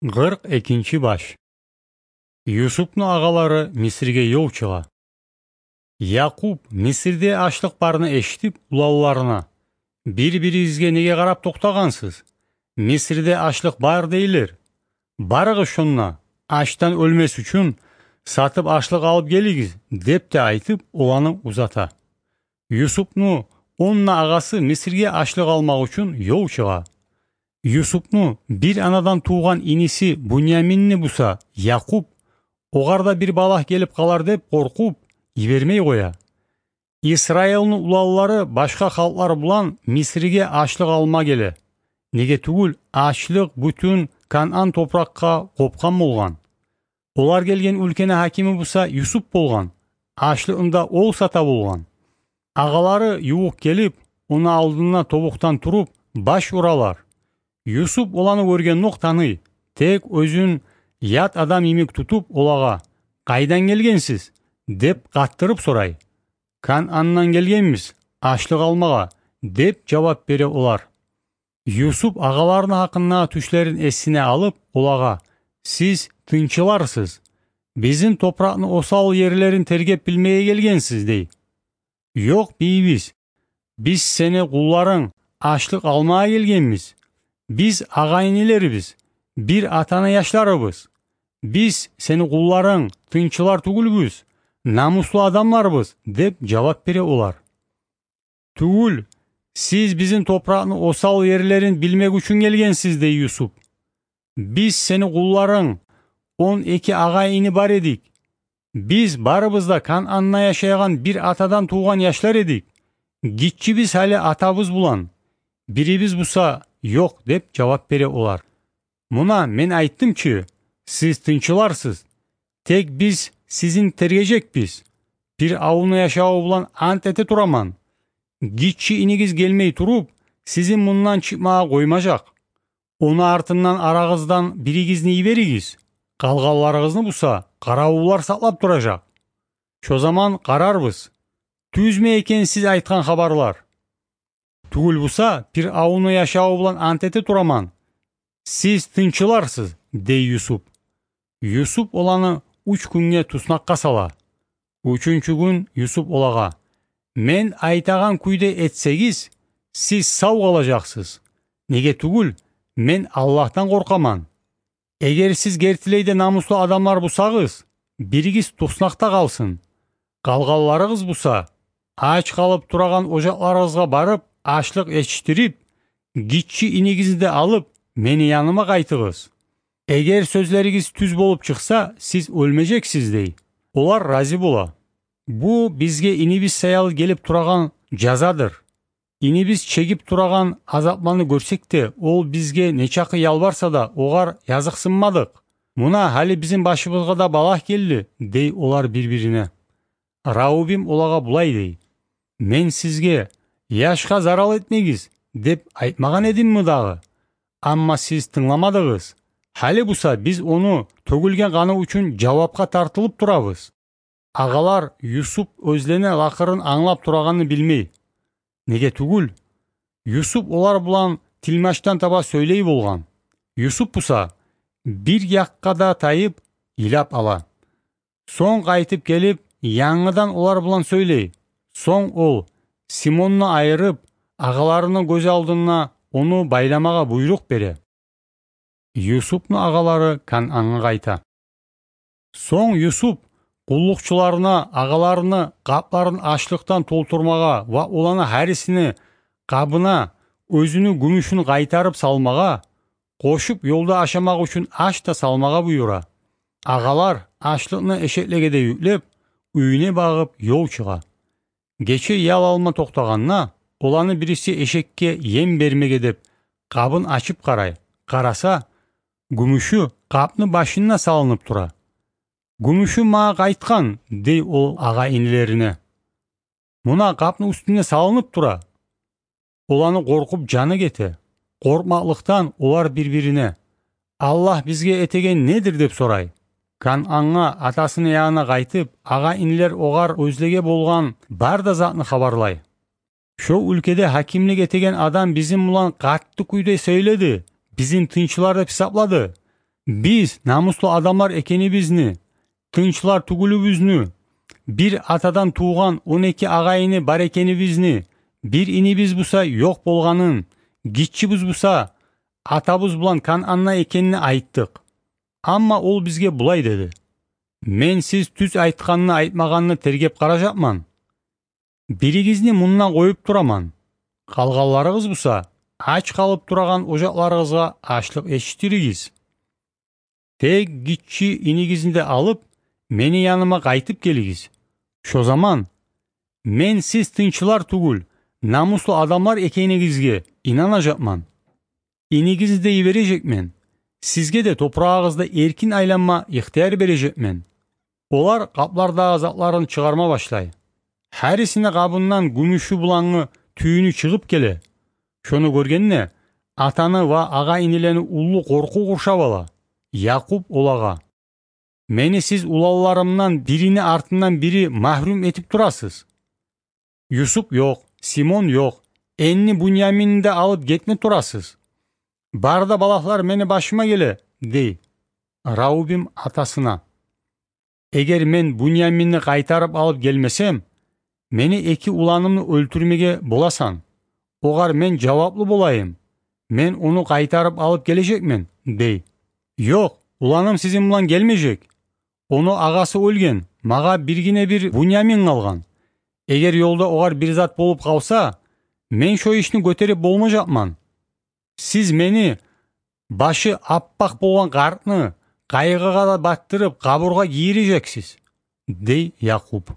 42 баш. Юсуптун агалары Мисирге жол чыга. Якуб Мисирде ачлык барын эшитип улаларына: "Бири-бирибизге неге карап токтогансыз? Мисирде ачлык бар дейлер. Барыгыз шонна, ачтан өлмес үчүн сатып ачлык алып келигиз" деп те айтып, уланы узата. Юсуптун 10 агасы Мисирге ачлык алмак үчүн жол чыга. Юсуптун бир анадан тууган иниси Буньяминни буса, Якуб огарда бир балах келип калар деп коркуп, жибермей коя. Исраилдин улалары башка халклар булан Мисирге ачлык алма келе. Неге түгүл ачлык бүтүн Канан топуракка копкан болгон. Олар келген өлкөнүн хакими буса Юсуп болгон. Ачлыгында ол сата болгон. Агалары юук келип, уну алдына тобуктан туруп, баш уралар. Юсуп оланы көргөн тааный, тек өзүн ят адам имик тутуп олага: "Кайдан келгенсиз?" деп каттырып сурай. "Канандан келгенбиз, ачлык алмага" деп жооп бере олар. Юсуп агаларынын хакына түшлөрүн эсине алып, олага: "Сиз тынчыларсыз, биздин топурактын осал жерлерин тергеп билмей келгенсиз" дей. "Жок бийбиз, биз сени кулларың ачлык алмага келгенбиз. Биз ага-инилерибиз, бир атаны яштарыбыз. Биз сени кулларың тынчылар түгүлбүз, намустуу адамдарбыз" деп жооп бере олар. "Түгүл, сиз биздин топурактын осал жерлерин билмек үчүн келгенсиз" дей Юсуп. "Биз сени кулларың 12 ага-ини бар эдик. Биз барыбыз да Кананда жашаган бир атадан тууган яштар эдик. Кичибиз али атабыз булан. Бирибиз буса жок" деп жооп бере олар. "Муна мен айттымчы, сиз тынчыларсыз. Тек биз сизин тергежекпиз. Бир ауылда жашоо булан ант эте тураман. Кичи инигиз келмей туруп, сизин мындан чыкмага коймажак. Ону артынан арагыздан биригизди жиберигиз. Калганларыгызды буса карабуулар саклап туражак. Шо заман карарбыз. Түзмө экен сиз айткан хабарлар. Түгүл буса, бир ауылда жашоо булан ант эте тураман. Сиз тынчыларсыз" дей Юсуп. Юсуп оланы 3 күнгө туснакка сала. 3-чү күн Юсуп олага: "Мен айтаган күйдө этсеңиз, сиз сау калажаксыз. Неге түгүл, мен Аллахтан коркаман. Эгер сиз кертилейде намустуу адамдар бусагыз, биригиз туснакта калсын. Калганларыгыз буса, ач калып турган ожакларыбызга барып, ачлык ичтирип, кичи инигизди алып, мени яныма кайтыгыз. Эгер сөзлөрүңүз түз болуп чыкса, сиз өлмөжексиз" дей. Олар разы бола. "Бу бизге инибиз саялы келип турган жазадыр. Инибиз чегип турган азапланы көрсек те, ол бизге нечакы ялбарса да, огар языксынмадык. Муна али биздин башыбызга да балах келди" дей олар бири-бирине. Раубим олага булай дей: "Мен сизге яшка зарал этмеңиз деп айтмаган эдимми дагы? Амма сиз тыңламадыгыз. Хали буса биз ону төгүлгөн каны үчүн жабапка тартылып турабыз." Агалар Юсуп өзлене лакырын аңлап турганын билмей. Неге түгүл, Юсуп олар булан тилмаштан таба сөйлөй болгон. Юсуп буса бир жакка да тайып, ыйлап ала. Соң кайтып келип, яңыдан олар булан сөйлөй. Соң ол Симонну айырып, агаларынын көз алдына ону байламага буйрук бере. Юсуптун агалары Кананга кайта. Соң Юсуп куллукчуларына агаларыны капларын ачлыктан толтурмага ва уланы харисини кабына өзүнүн күмүшүн кайтарып салмага, кошуп жолдо ашамак үчүн аш да салмага буйрура. Агалар ачлыкны эшеклегеде yüklеп, үйүнө багып жол чыга. Кече ял алма токтоганына, уланы бириси эшекке ем бермеге деп кабын ачып караса, күмүшү каптын башына салынып тура. "Күмүшү мага кайткан" дей ол ага-инилерине. "Муна каптын үстүнө салынып тура." Уланы коркуп жаны кете. Коркмаклыктан олар бири-бирине: "Аллах бизге этеген недир?" деп сурай. Кананга атасынын ягына кайтып, ага-инилер огар өзлеге болгон бар да затны кабарлай. "Шо өлкөдө хакимлик этеген адам биздин булан катты күйдө сөйлөдү, биздин тынчылар деп хисаплады. Биз намустуу адамдар экенибизни, тынчылар түгүлүбүзнү, бир атадан тууган 12 агайыны бар экенибизни, бир инибиз буса жок болганын, кичибиз буса атабыз булан Кананна экенин айттык. Амма ол бизге булай деди: мен сиз түз айтканны айтмаганны тергеп каражакман. Биригизни мундан коюп тураман. Калганларыгыз буса ач калып турган ожакларыгызга ачлык эчтиригиз. Тег кичи инигизди алып, мени яныма кайтып келигиз. Ошо заман мен сиз тынчылар түгүл, намустуу адамдар экениңизге инанажакман. Инигизди дей бережекмен. Сизге де топурагыңызда эркин айланма ыктыяр бережекмен. Олар каплардагы затларын чыгарма башлай. Харисине кабынан күмүшү булаңы түйүнү чыгып келе. Шону көргенне атаны ва ага инилени улуу коркуу куршап ала. Якуб олага: мени сиз улаларымдан бирини артынан бири махрум этип турасыз. Юсуп жок, Симон жок, энни Буньяминди алып кетме турасыз. Барда балаклар мени башыма келе, дей. Раубим атасына: эгер мен Буньяминди кайтарып алып келмесем, мени эки уланымды өлтүрмеге боласаң. Огар мен жаваплуу болайым. Мен уну кайтарып алып кележекмен, дей. Жок, уланым сизин булан келмежек. Ону агасы өлген, мага биргине бир Буньямин калган. Эгер жолдо огар бир зат болуп калса, мен шо ишни көтөрүп болможакман. Сиз мени башы аппак болгон картны кайгыга да баттырып кабурга кийирежексиз, дей Якуб.